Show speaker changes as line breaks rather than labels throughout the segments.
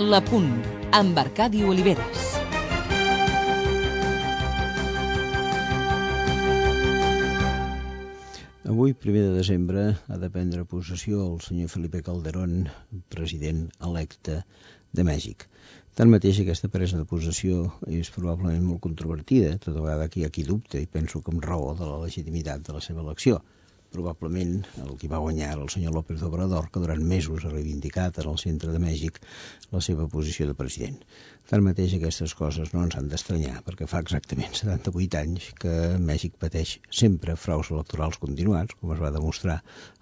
La Punt, amb Arcadi Oliveres.
Avui, 1 de desembre, ha de prendre possessió el senyor Felipe Calderón, president electe de Mèxic. Tanmateix, aquesta presa de possessió és probablement molt controvertida, tota vegada que hi ha qui dubta, i penso que amb raó de la legitimitat de la seva elecció. Probablement el qui va guanyar era el senyor López Obrador, que durant mesos ha reivindicat en el centre de Mèxic la seva posició de president. Tanmateix, aquestes coses no ens han d'estranyar, perquè fa exactament 78 anys que Mèxic pateix sempre fraus electorals continuats, com es va demostrar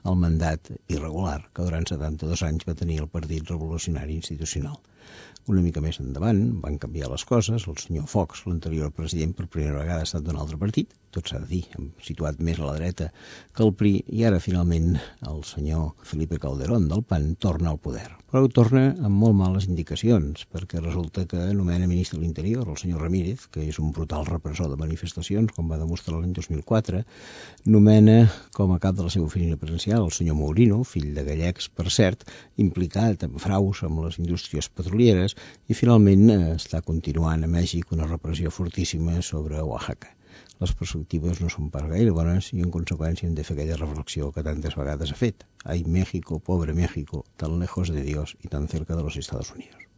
el mandat irregular que durant 72 anys va tenir el Partit Revolucionari Institucional. Una mica més endavant van canviar les coses. El senyor Fox, l'anterior president, per primera vegada ha estat d'un altre partit, tot s'ha de dir, situat més a la dreta que el PRI, i ara finalment el senyor Felipe Calderón del PAN torna al poder. Però torna amb molt males indicacions, perquè resulta que nomena ministre de l'Interior el senyor Ramírez, que és un brutal repressor de manifestacions, com va demostrar l'any 2004, nomena com a cap de la seva oficina presidencial el senyor Mourino, fill de gallecs, per cert, implicat en fraus amb les indústries petrolieres, i finalment està continuant a Mèxic una repressió fortíssima sobre Oaxaca. Les perspectives no són pas gaire bones i en conseqüència hem de fer aquella reflexió que tantes vegades ha fet. Ay, México, pobre México, tan lejos de Dios y tan cerca de los Estados Unidos.